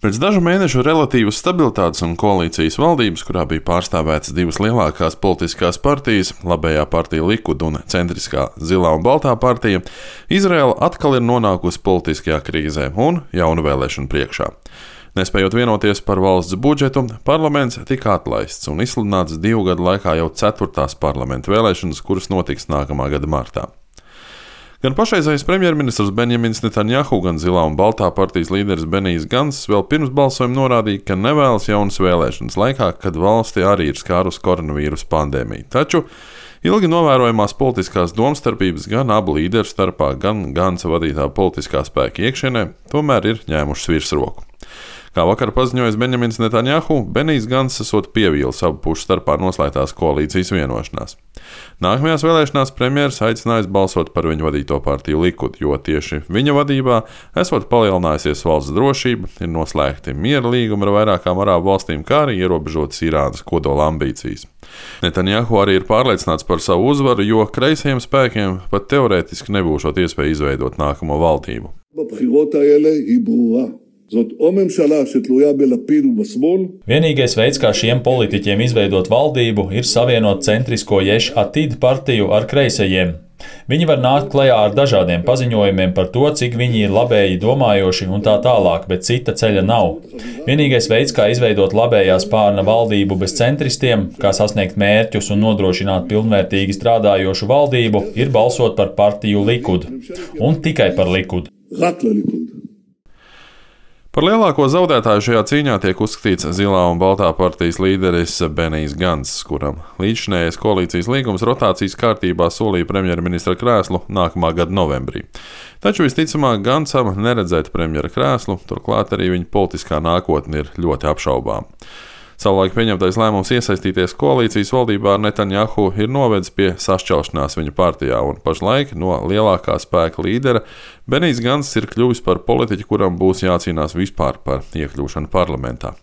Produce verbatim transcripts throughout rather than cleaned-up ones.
Pēc dažu mēnešu relatīvas stabilitātes un koalīcijas valdības, kurā bija pārstāvētas divas lielākās politiskās partijas - labējā partija Likud un centriskā Zilā un Baltā partija, Izraela atkal ir nonākusi politiskajā krīzē un jaunu vēlēšanu priekšā. Nespējot vienoties par valsts budžetu, parlaments tika atlaists un izsludināts divu gadu laikā jau ceturtās parlamenta vēlēšanas, kuras notiks nākamā gada martā. Gan pašreizējais premjerministrs Benjamins Netanjahu, gan Zilā un Baltā partijas līderis Benijs Ganss vēl pirms balsojuma norādīja, ka nevēlas jaunas vēlēšanas laikā, kad valsti arī ir skārusi koronavīrusa pandēmija. Taču ilgi novērojamās politiskās domstarpības gan abu līderu starpā, gan Gansa vadītā politiskā spēka iekšienē tomēr ir ņēmušas virsroku. Kā vakar paziņojis Benjamins Netanjahu, Benijs Ganss esot pievīlis abu pušu starpā noslēgtās koalīcijas vienošanās. Nākamajās vēlēšanās premjeras aicinājis balsot par viņu vadīto partiju Likud, jo tieši viņa vadībā esot palielinājusies valsts drošība, ir noslēgti miera līgumi ar vairākām arābu valstīm, kā arī ierobežotas Irānas kodola ambīcijas. Netanjahu arī ir pārliecināts par savu uzvaru, jo kreisajiem spēkiem pat teorētiski nebūšot iespēja izveidot nākamo valdību. Vienīgais veids, kā šiem politiķiem izveidot valdību, ir savienot centrisko Ješ Atid partiju ar kreisajiem. Viņi var nākt klajā ar dažādiem paziņojumiem par to, cik viņi ir labēji domājoši un tā tālāk, bet cita ceļa nav. Vienīgais veids, kā izveidot labējā spārna valdību bez centristiem, kā sasniegt mērķus un nodrošināt pilnvērtīgi strādājošu valdību, ir balsot par partiju Likud. Un tikai par Likud. Par lielāko zaudētāju šajā cīņā tiek uzskatīts Zilā un Baltā partijas līderis Benijs Ganss, kuram līdzšinējais koalīcijas līgums rotācijas kārtībā solīja premjerministra krēslu nākamā gada novembrī. Taču visticamāk Ganssam neredzēt premjera krēslu, turklāt arī viņa politiskā nākotne ir ļoti apšaubām. Savulaik pieņemtais lēmums iesaistīties koalīcijas valdībā ar Netanjahu ir novedis pie sašķelšanās viņa partijā, un pašlaik no lielākā spēka līdera Benijs Ganss ir kļuvis par politiķu, kuram būs jācīnās vispār par iekļūšanu parlamentā.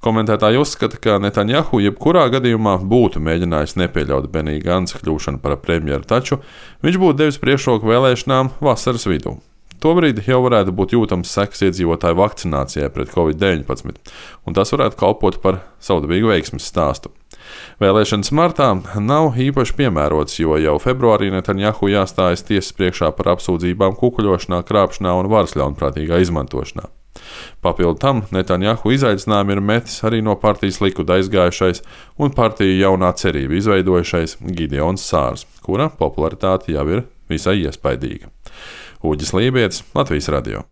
Komentētāji uzskata, ka Netanjahu jebkurā gadījumā būtu mēģinājis nepieļaut Benija Gansa kļūšanu par premjeru, taču viņš būtu devis priekšroku vēlēšanām vasaras vidū. Tobrīd jau varētu būt jūtams sekas iedzīvotāju vakcinācijai pret covid deviņpadsmit, un tas varētu kalpot par savdabīgu veiksmes stāstu. Vēlēšanas martā nav īpaši piemērots, jo jau februārī Netanjahu jāstājas tiesas priekšā par apsūdzībām kukuļošanā, krāpšanā un varas ļaunprātīgā izmantošanā. Papildu tam Netanjahu izaicinājumu ir metis arī no partijas Likud aizgājušais un partiju jaunā cerība izveidojušais Gideons Sārs, kura popularitāte jau ir visai iespaidīga. Uģis Lībietis, Latvijas radio.